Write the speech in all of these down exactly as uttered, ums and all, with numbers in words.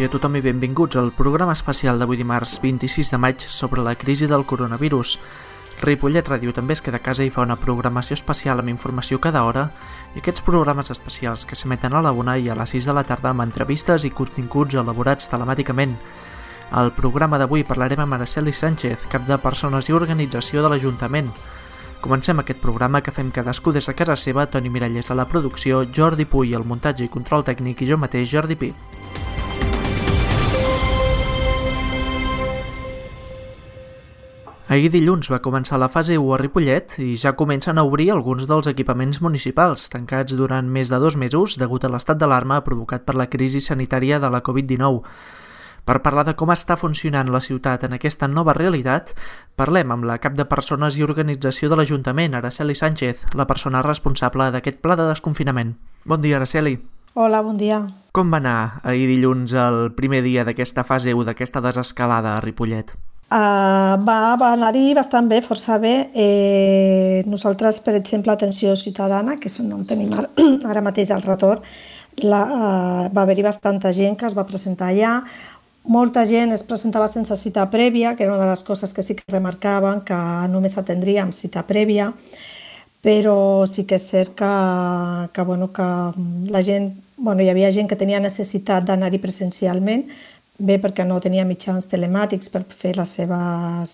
dia a tothom i benvinguts al programa especial d'avui dimarts vint-i-sis de maig sobre la crisi del coronavirus. Ripollet Ràdio també es queda a casa i fa una programació especial amb informació cada hora i aquests programes especials que s'emeten a la una i a les sis de la tarda amb entrevistes i continguts elaborats telemàticament. Al programa d'avui parlarem amb Araceli Sánchez, cap de Persones i Organització de l'Ajuntament. Comencem aquest programa que fem cadascú des de casa seva, Toni Miralles a la producció, Jordi Puy al muntatge i control tècnic i jo mateix, Jordi Pi. Ahir dilluns va començar la fase u a Ripollet i ja comencen a obrir alguns dels equipaments municipals, tancats durant més de dos mesos degut a l'estat d'alarma provocat per la crisi sanitària de la covid dinou. Per parlar de com està funcionant la ciutat en aquesta nova realitat, parlem amb la cap de Persones i Organització de l'Ajuntament, Araceli Sánchez, la persona responsable d'aquest pla de desconfinament. Bon dia, Araceli. Hola, bon dia. Com va anar ahir dilluns el primer dia d'aquesta fase u, d'aquesta desescalada a Ripollet? Uh, va va anar-hi bastant bé, força bé. Eh, nosaltres, per exemple, Atenció Ciutadana, que és on tenim ara, ara mateix al retorn, la, uh, va haver-hi bastanta gent que es va presentar allà. Molta gent es presentava sense cita prèvia, que era una de les coses que sí que remarcaven, que només atendríem cita prèvia, però sí que és cert que, que, bueno, que la gent, bueno, hi havia gent que tenia necessitat d'anar-hi presencialment, bé perquè no tenia mitjans telemàtics per fer les seves,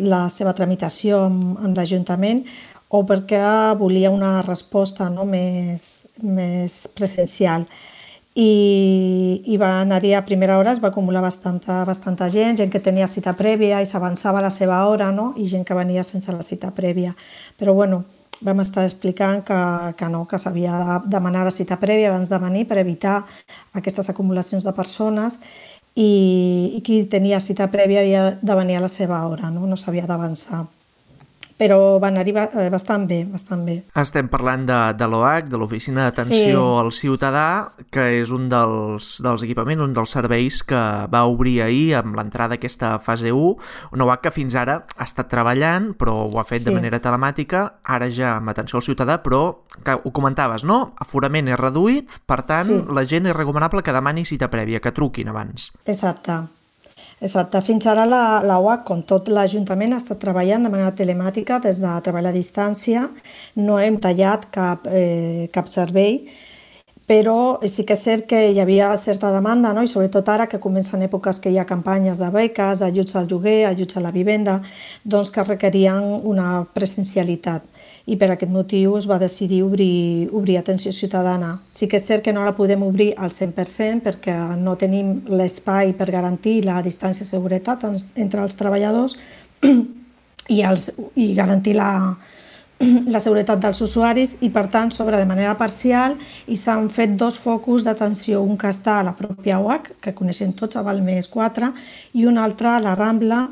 la seva tramitació amb, amb l'Ajuntament, o perquè volia una resposta, no, més, més presencial. I, i va anar-hi a primera hora, es va acumular bastanta, bastanta gent, gent que tenia cita prèvia i s'avançava a la seva hora, no? I gent que venia sense la cita prèvia. Però bueno, vam estar explicant que, que no, que s'havia de demanar la cita prèvia abans de venir per evitar aquestes acumulacions de persones i, i qui tenia cita prèvia havia de venir a la seva hora, no, no s'havia d'avançar. Però va anar-hi bastant bé, bastant bé. Estem parlant de, de l'O H, de l'Oficina d'Atenció sí. al Ciutadà, que és un dels, dels equipaments, un dels serveis que va obrir ahir amb l'entrada d'aquesta fase u, una O H que fins ara ha estat treballant, però ho ha fet sí. de manera telemàtica, ara ja amb Atenció al Ciutadà, però que ho comentaves, no? Aforament és reduït, per tant, sí. la gent és recomanable que demani cita prèvia, que truquin abans. Exacte. Exacte. Fins ara la, la O H, com tot l'Ajuntament, ha estat treballant de manera telemàtica des de treball a distància. No hem tallat cap, eh, cap servei, però sí que és cert que hi havia certa demanda, no? I sobretot ara que comencen èpoques que hi ha campanyes de beques, ajuts al lloguer, ajuts a la vivenda, doncs que requerien una presencialitat. I per aquest motiu es va decidir obrir, obrir Atenció Ciutadana. Sí que és cert que no la podem obrir al cent per cent perquè no tenim l'espai per garantir la distància de seguretat entre els treballadors i, els, i garantir la, la seguretat dels usuaris i, per tant, s'obre de manera parcial i s'han fet dos focus d'atenció, un que està a la pròpia O H, que coneixem tots, a Balmes quatre, i un altre a la Rambla,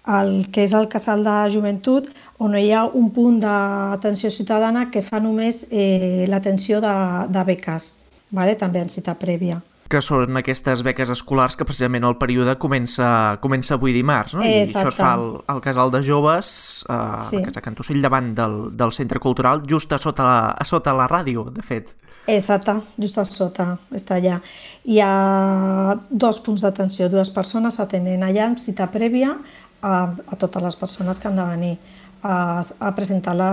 el que és el Casal de Joventut, on hi ha un punt d'atenció ciutadana que fa només eh, l'atenció de, de beques, vale? També en cita prèvia. Que són aquestes beques escolars que precisament el període comença, comença avui dimarts, no? I Exacte. això es fa al, al Casal de Joves, a sí. la Casa Cantocell, davant del, del Centre Cultural, just a sota, a sota la ràdio, de fet. Exacte, just a sota, està allà. Hi ha dos punts d'atenció, dues persones atenen allà amb cita prèvia a, a totes les persones que han de venir a, a presentar la,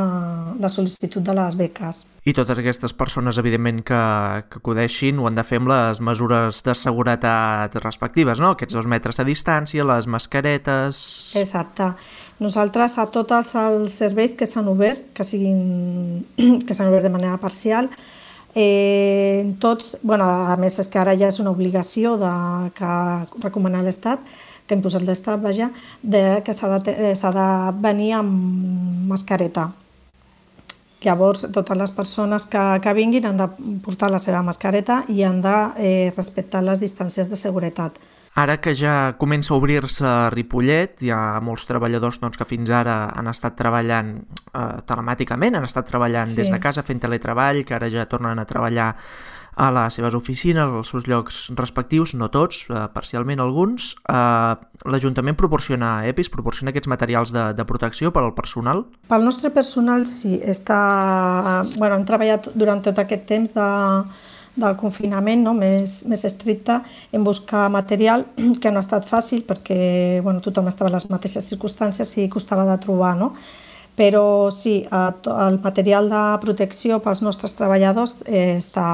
la sol·licitud de les beques. I totes aquestes persones, evidentment, que, que acudeixin ho han de fer amb les mesures de seguretat respectives, no? Aquests dos metres a distància, les mascaretes... Exacte. Nosaltres, a tots els, els serveis que s'han obert, que siguin que s'han obert de manera parcial, eh, tots, bueno, a més és que ara ja és una obligació de, que recomana l'Estat, que hem posat l'Estat, vaja, de, que s'ha de, s'ha de venir amb mascareta. Llavors, totes les persones que, que vinguin han de portar la seva mascareta i han de eh, respectar les distàncies de seguretat. Ara que ja comença a obrir-se Ripollet, hi ha molts treballadors doncs, que fins ara han estat treballant eh, telemàticament, han estat treballant sí. des de casa fent teletreball, que ara ja tornen a treballar a les seves oficines, als seus llocs respectius, no tots, eh, parcialment alguns. Eh, L'Ajuntament proporciona E P Is, proporciona aquests materials de, de protecció per al personal? Pel nostre personal sí, està, bueno, hem treballat durant tot aquest temps de, del confinament, no? més, més estricte, en buscar material, que no ha estat fàcil perquè bueno, tothom estava en les mateixes circumstàncies i costava de trobar, no? Però sí, el material de protecció pels nostres treballadors eh, està,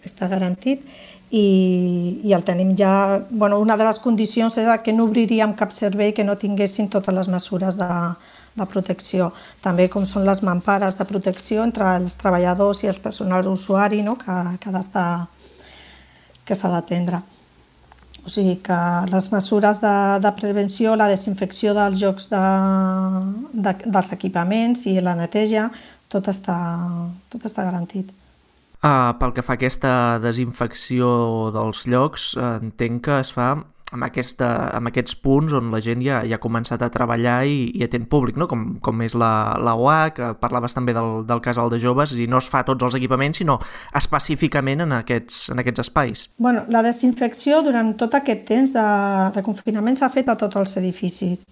està garantit i, i el tenim ja... Bueno, una de les condicions era que no obriríem cap servei que no tinguessin totes les mesures de, de protecció. També com són les mampares de protecció entre els treballadors i el personal usuari, no? que, que, ha d'estar, que s'ha d'atendre. O sigui que les mesures de, de prevenció, la desinfecció dels llocs de, de, dels equipaments i la neteja, tot està, tot està garantit. Uh, pel que fa a aquesta desinfecció dels llocs, uh, entenc que es fa amb, aquesta, amb aquests punts on la gent ja, ja ha començat a treballar i, i atén públic, no? com, com és la, la U A, que parlaves també del, del casal de joves, i no es fa a tots els equipaments, sinó específicament en aquests, en aquests espais. Bueno, la desinfecció durant tot aquest temps de, de confinament s'ha fet a tots els edificis.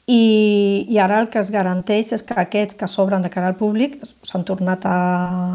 I, i ara el que es garanteix és que aquests que s'obren de cara al públic s'han tornat a,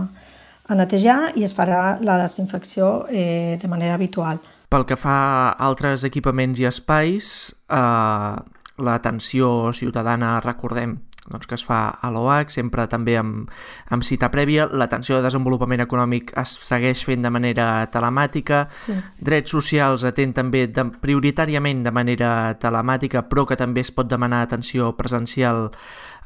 a netejar i es farà la desinfecció eh, de manera habitual. Pel que fa a altres equipaments i espais, eh, l'atenció ciutadana, recordem doncs, que es fa a l'O H, sempre també amb, amb cita prèvia. L'atenció de desenvolupament econòmic es segueix fent de manera telemàtica. Sí. Drets socials atén també de, prioritàriament de manera telemàtica, però que també es pot demanar atenció presencial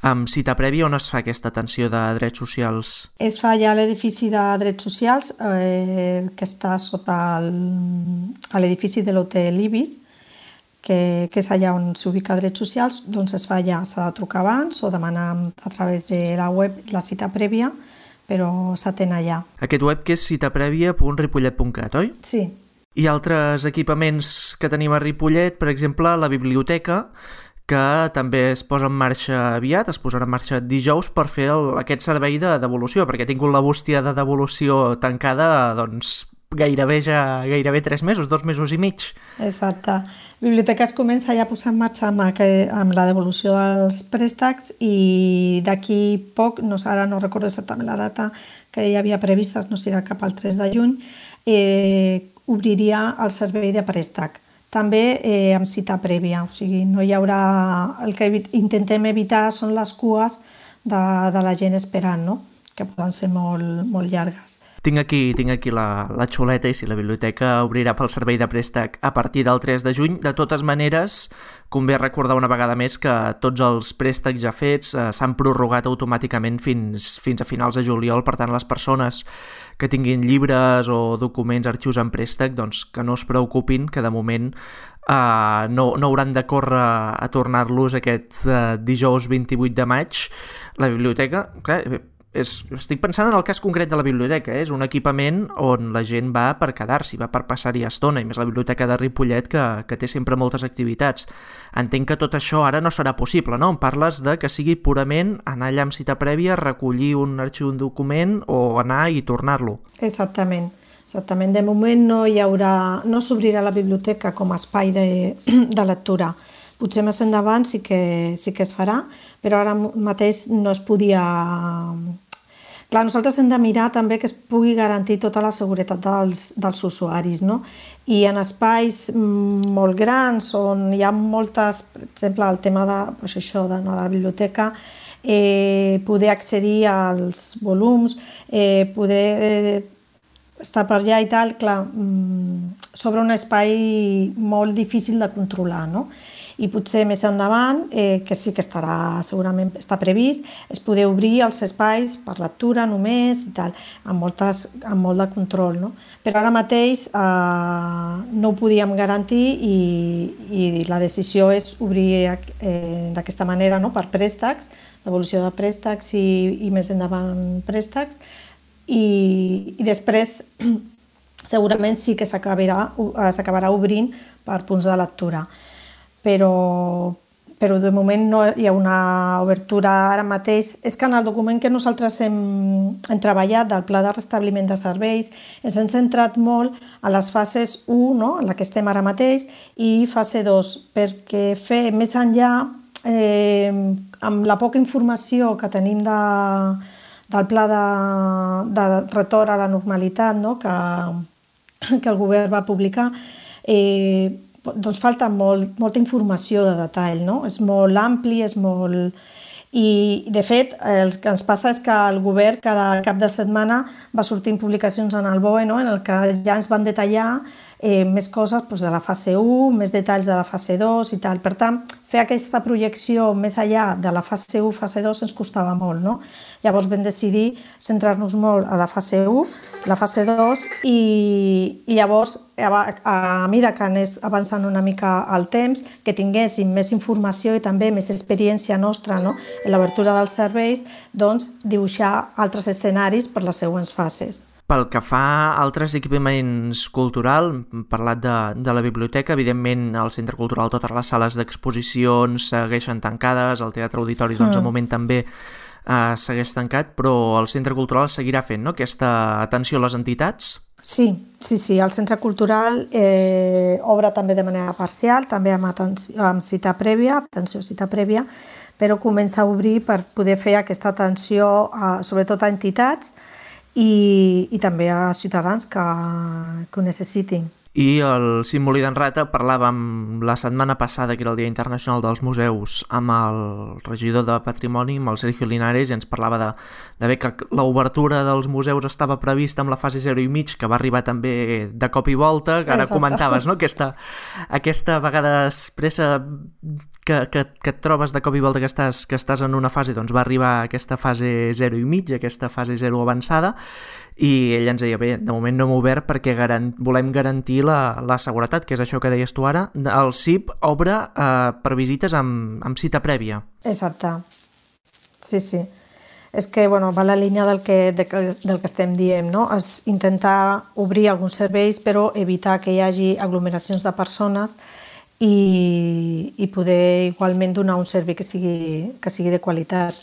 amb cita prèvia. On es fa aquesta atenció de drets socials? Es fa ja a l'edifici de drets socials, eh, que està sota el, a l'edifici de l'Hotel Ibis, que, que és allà on s'ubica drets socials. Doncs es fa ja, s'ha de trucar abans o demanar a través de la web la cita prèvia, però s'atén allà. Aquest web que és citaprèvia punt ripollet punt cat, oi? Sí. I altres equipaments que tenim a Ripollet, per exemple, la biblioteca, que també es posa en marxa aviat, es posarà en marxa dijous per fer el, aquest servei de devolució, perquè ha tingut la bústia de devolució tancada doncs, gairebé ja gairebé tres mesos, dos mesos i mig. Exacte. Biblioteca es comença ja a posar en marxa amb, amb la devolució dels préstecs i d'aquí poc, no, ara no recordo exactament la data que hi havia prevista, no serà cap al tres de juny, eh, obriria el servei de préstec. També eh, amb cita prèvia, o sigui, no hi haurà... El que intentem evitar són les cues de, de la gent esperant, no? Que poden ser molt, molt llargues. Tinc aquí, tinc aquí la, la xuleta i si la biblioteca obrirà pel servei de préstec a partir del tres de juny. De totes maneres, convé recordar una vegada més que tots els préstecs ja fets eh, s'han prorrogat automàticament fins, fins a finals de juliol. Per tant, les persones que tinguin llibres o documents, arxius en préstec, doncs que no es preocupin, que de moment eh, no, no hauran de córrer a tornar-los aquest eh, dijous vint-i-vuit de maig. La biblioteca... Clar, És, estic pensant en el cas concret de la biblioteca, eh? És un equipament on la gent va per quedar-s'hi, va per passar-hi estona, i més la biblioteca de Ripollet que, que té sempre moltes activitats. Entenc que tot això ara no serà possible, no? Em parles de que sigui purament anar allà amb cita prèvia, recollir un arxiu, un document o anar i tornar-lo. Exactament. Exactament. De moment no hi haurà, no s'obrirà la biblioteca com a espai de, de lectura. Potser més endavant sí que, sí que es farà, però ara mateix no es podia... Clar, nosaltres hem de mirar també que es pugui garantir tota la seguretat dels, dels usuaris, no? I en espais molt grans on hi ha moltes, per exemple, el tema de, doncs això, de la biblioteca, eh, poder accedir als volums, eh, poder eh, estar per allà i tal, clar, sobre un espai molt difícil de controlar, no? I potser més endavant, eh, que sí que estarà, segurament està previst, es poder obrir els espais per lectura només i tal, amb, moltes, amb molt de control, no? Però ara mateix eh, no ho podíem garantir i, i la decisió és obrir eh, d'aquesta manera, no? Per préstecs, devolució de préstecs i, i més endavant préstecs, i, i després segurament sí que s'acabarà s'acabarà obrint per punts de lectura. Però, però de moment no hi ha una obertura ara mateix. És que en el document que nosaltres hem, hem treballat del Pla de Restabliment de Serveis ens hem centrat molt a les fases u, no? En la que estem ara mateix, i fase dos, perquè fer més enllà, eh, amb la poca informació que tenim de, del pla de, de retorn a la normalitat, no? que, que el govern va publicar, eh, doncs falta molt, molta informació de detall, no? És molt ampli, és molt... I, de fet, el que ens passa és que el govern cada cap de setmana va sortint publicacions en el B O E, no? En el que ja ens van detallar eh, més coses doncs, de la fase u, més detalls de la fase dos i tal. Per tant, fer aquesta projecció més enllà de la fase u, fase dos, ens costava molt, no? Llavors vam decidir centrar-nos molt a la fase u, la fase dos, i, i llavors, a, a mesura que anés avançant una mica el temps, que tinguéssim més informació i també més experiència nostra, no? En l'obertura dels serveis, doncs dibuixar altres escenaris per les següents fases. Pel que fa a altres equipaments culturals, hem parlat de, de la biblioteca, evidentment al Centre Cultural totes les sales d'exposicions segueixen tancades, el Teatre Auditori doncs, mm. al moment també eh, segueix tancat, però el Centre Cultural seguirà fent, no?, aquesta atenció a les entitats? Sí, sí, sí, el Centre Cultural eh, obre també de manera parcial, també amb, atenció, amb cita prèvia, atenció cita prèvia, però comença a obrir per poder fer aquesta atenció a, sobretot a entitats, I, i també a ciutadans que, que ho necessitin. I el Símboli d'en Rata, parlàvem la setmana passada, que era el Dia Internacional dels Museus, amb el regidor de Patrimoni, amb el Sergio Linares, i ens parlava de, de bé que l'obertura dels museus estava prevista amb la fase zero i mig, que va arribar també de cop i volta, que ara Exacte. comentaves, no?, aquesta, aquesta vegada expressa que, que, que et trobes de cop i volta que estàs, que estàs en una fase, doncs va arribar aquesta fase zero i mig, aquesta fase zero avançada, i ell ens deia, bé, de moment no hem obert perquè garan- volem garantir la, la seguretat, que és això que deies tu ara. El C I P obre eh, per visites amb, amb cita prèvia. Exacte. Sí, sí. És que, bueno, va la línia del que, de, del que estem dient, no? És intentar obrir alguns serveis, però evitar que hi hagi aglomeracions de persones i, i poder igualment donar un servei que sigui, que sigui de qualitat.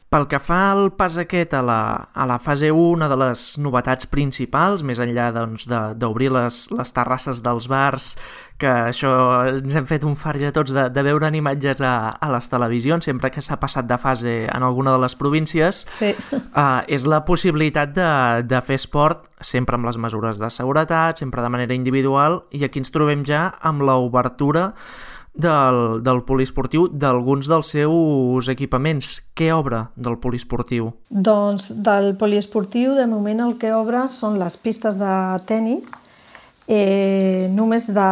Pel que fa al pas aquest a la, a la fase u, una de les novetats principals, més enllà doncs, d'obrir les, les terrasses dels bars, que això ens hem fet un farge tots de, de veure'n imatges a, a les televisions, sempre que s'ha passat de fase en alguna de les províncies, sí. uh, és la possibilitat de, de fer esport sempre amb les mesures de seguretat, sempre de manera individual, i aquí ens trobem ja amb l'obertura Del, del poliesportiu, d'alguns dels seus equipaments. Què obre del poliesportiu? Doncs del poliesportiu, de moment el que obre són les pistes de tennis, eh, només de,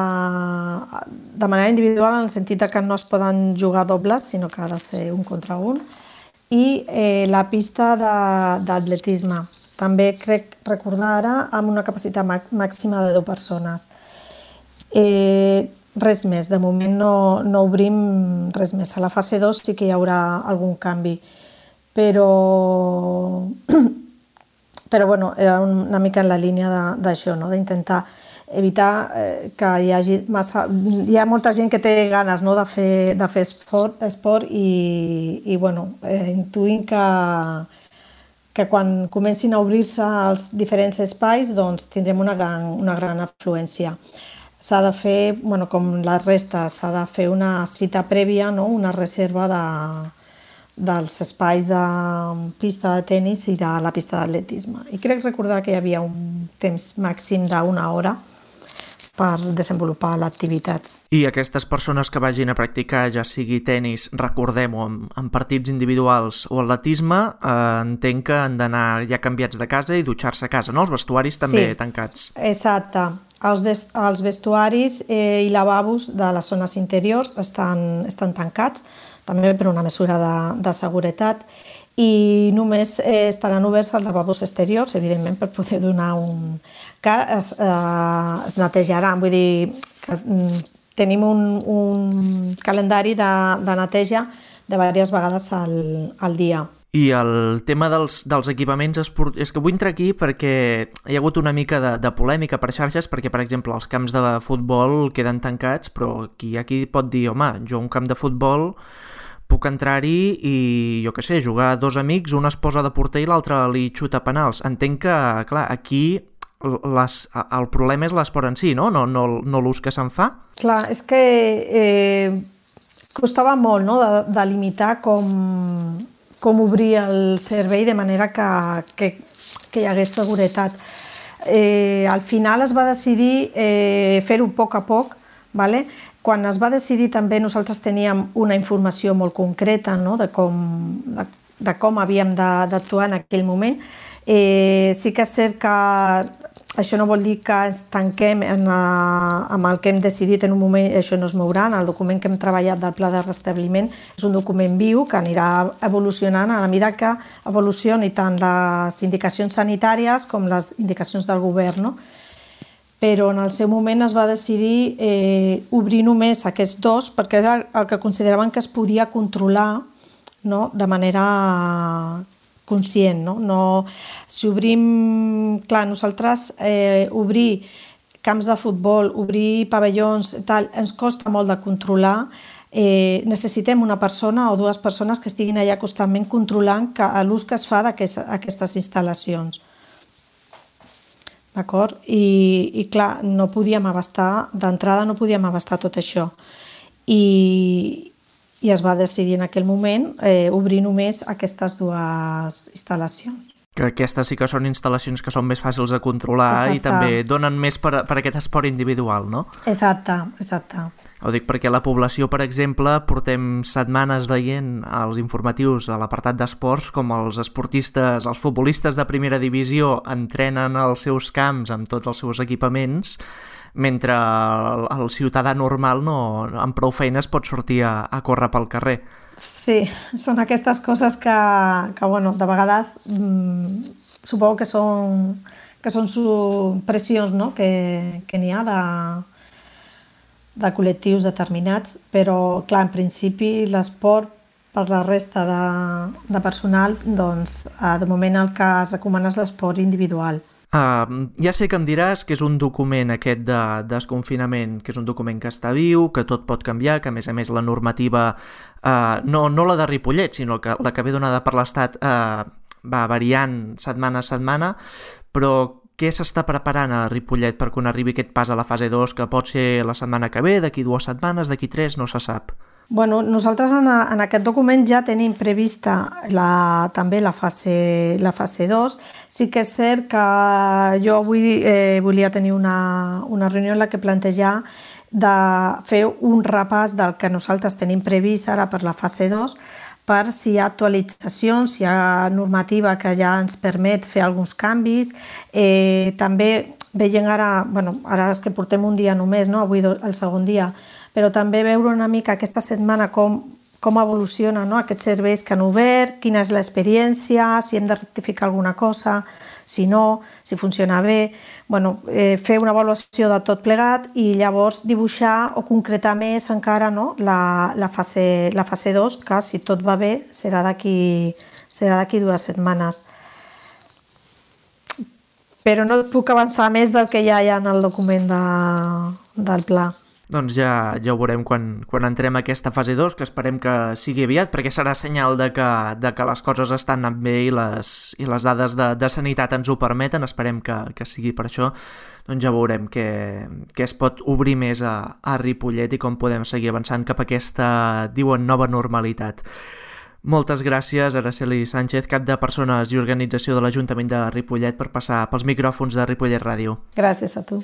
de manera individual, en el sentit que no es poden jugar dobles, sinó que ha de ser un contra un, i eh, la pista d'atletisme. També crec recordar ara amb una capacitat màxima de deu persones. Eh, Res més, de moment no, no obrim res més. A la fase dos sí que hi haurà algun canvi, però, però bueno, era una mica en la línia d'això, no? D'intentar evitar eh, que hi hagi massa... Hi ha molta gent que té ganes, no?, de fer, de fer esport, esport i, i bueno, eh, intuïm que, que quan comencin a obrir-se els diferents espais doncs tindrem una gran, una gran afluència. S'ha de fer, bueno, com la resta, s'ha de fer una cita prèvia, no?, una reserva de, dels espais de pista de tennis i de la pista d'atletisme. I crec recordar que hi havia un temps màxim d'una hora per desenvolupar l'activitat. I aquestes persones que vagin a practicar, ja sigui tennis, recordem-ho, en, en partits individuals o atletisme, eh, entenc que han d'anar ja canviats de casa i dutxar-se a casa, no? Els vestuaris també sí, tancats. Exacte. Els, des, els vestuaris eh, i lavabos de les zones interiors estan, estan tancats, també per una mesura de, de seguretat, i només eh, estaran oberts els lavabos exteriors, evidentment, per poder donar un... que es, eh, es netejaran, vull dir que mm, tenim un, un calendari de, de neteja de diverses vegades al, al dia. I el tema dels, dels equipaments esportius... És que vull entrar aquí perquè hi ha hagut una mica de, de polèmica per xarxes, perquè, per exemple, els camps de futbol queden tancats, però qui hi ha qui pot dir, home, jo a un camp de futbol puc entrar-hi i, jo què sé, jugar dos amics, un es posa de porter i l'altre li xuta penals. Entenc que, clar, aquí les, el problema és l'esport en si, no? No, no, no l'ús que se'n fa? Clar, és que eh, costava molt, no?, de, de limitar com... com obrir el servei de manera que, que, que hi hagués seguretat. Eh, al final es va decidir eh, fer-ho a poc a poc, vale? Quan es va decidir també nosaltres teníem una informació molt concreta, no? de, com, de, de com havíem d'actuar en aquell moment. Eh, sí que és cert que això no vol dir que ens tanquem en, amb el que hem decidit en un moment, això no es mourà. El document que hem treballat del pla de restabliment és un document viu que anirà evolucionant a la mida que evolucioni tant les indicacions sanitàries com les indicacions del govern, no? Però en el seu moment es va decidir eh, obrir només aquests dos perquè era el que consideraven que es podia controlar, no? De manera conscient. No? No, si obrim, clar, nosaltres eh, obrir camps de futbol, obrir pavellons, tal, ens costa molt de controlar. Eh, necessitem una persona o dues persones que estiguin allà constantment controlant l'ús que es fa d'aquestes instal·lacions. D'acord? I, I clar, no podíem abastar, d'entrada no podíem abastar tot això. I, i es va decidir en aquell moment eh, obrir només aquestes dues instal·lacions. Que aquestes sí que són instal·lacions que són més fàcils de controlar. Exacte. I també donen més per, per aquest esport individual, no? Exacte, exacte. Ho dic perquè la població, per exemple, portem setmanes veient als informatius a l'apartat d'esports com els esportistes, els futbolistes de primera divisió entrenen als seus camps amb tots els seus equipaments, mentre el, el ciutadà normal no, amb prou feines pot sortir a, a córrer pel carrer. Sí, són aquestes coses que, que bueno, de vegades mmm, suposo que són, que són pressions, no? que, que n'hi ha de, de col·lectius determinats, però clar, en principi l'esport per la resta de, de personal, doncs de moment el que es recomana és l'esport individual. Uh, ja sé que em diràs que és un document aquest de desconfinament, que és un document que està viu, que tot pot canviar, que a més a més la normativa, uh, no, no la de Ripollet, sinó que la que ve donada per l'Estat uh, va variant setmana a setmana, però què s'està preparant a Ripollet per quan arribi aquest pas a la fase dos, que pot ser la setmana que ve, d'aquí dues setmanes, d'aquí tres, no se sap? Bueno, nosaltres en, a, en aquest document ja tenim prevista la, també la fase, la fase dos. Sí que és cert que jo avui eh, volia tenir una, una reunió en la que plantejar de fer un repàs del que nosaltres tenim previst ara per la fase dos, per si hi ha actualitzacions, si hi ha normativa que ja ens permet fer alguns canvis. Eh, també veient ara, bueno, ara és que portem un dia només, no? Avui el segon dia, però també veure una mica aquesta setmana com, com evoluciona, no? Aquests serveis que han obert, quina és l'experiència, si hem de rectificar alguna cosa, si no, si funciona bé. Bueno, eh, fer una avaluació de tot plegat i llavors dibuixar o concretar més encara, no? la, la, fase, la fase dos, que si tot va bé serà d'aquí serà d'aquí dues setmanes. Però no puc avançar més del que ja hi ha en el document de, del pla. Doncs ja, ja ho veurem quan, quan entrem a aquesta fase dos, que esperem que sigui aviat, perquè serà senyal de que, de que les coses estan anant bé i les, i les dades de, de sanitat ens ho permeten. Esperem que, que sigui per això. Doncs ja veurem què, què es pot obrir més a, a Ripollet i com podem seguir avançant cap a aquesta, diuen, nova normalitat. Moltes gràcies, Araceli Sánchez, cap de Persones i Organització de l'Ajuntament de Ripollet, per passar pels micròfons de Ripollet Ràdio. Gràcies a tu.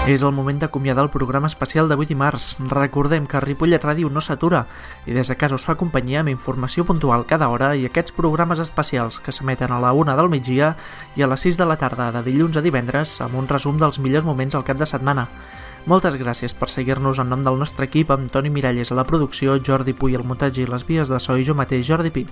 És el moment d'acomiadar el programa especial d'avui dimarts. Recordem que Ripollet Ràdio no s'atura i des de casa us fa companyia amb informació puntual cada hora i aquests programes especials que s'emeten a la una del migdia i a les sis de la tarda de dilluns a divendres amb un resum dels millors moments al cap de setmana. Moltes gràcies per seguir-nos en nom del nostre equip, amb Toni Miralles a la producció, Jordi Puy al muntatge i les vies de so i jo mateix, Jordi Pi.